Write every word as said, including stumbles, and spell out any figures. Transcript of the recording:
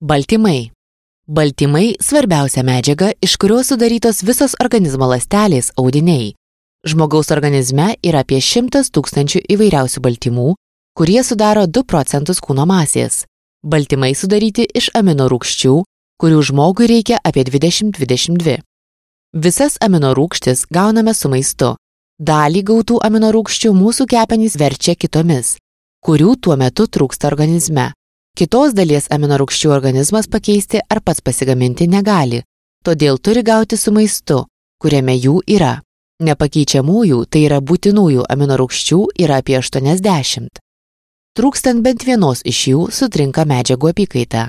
Baltymai. Baltymai – svarbiausia medžiaga, iš kurios sudarytos visos organizmo ląstelės audiniai. Žmogaus organizme yra apie šimtas tūkstančių įvairiausių baltymų, kurie sudaro du procentus kūno masės. Baltymai sudaryti iš aminorūgščių, kurių žmogui reikia apie dvidešimt dvidešimt dvi. Visas aminorūgštis gauname su maistu. Dalį gautų aminorūgščių mūsų kepenys verčia kitomis, kurių tuo metu trūksta organizme. Kitos dalies aminorūgščių organizmas pakeisti ar pats pasigaminti negali, todėl turi gauti su maistu, kuriame jų yra. Nepakeičiamųjų, tai yra būtinųjų aminorūgščių yra apie aštuoniasdešimt. Trūkstant bent vienos iš jų sutrinka medžiagų apykaita.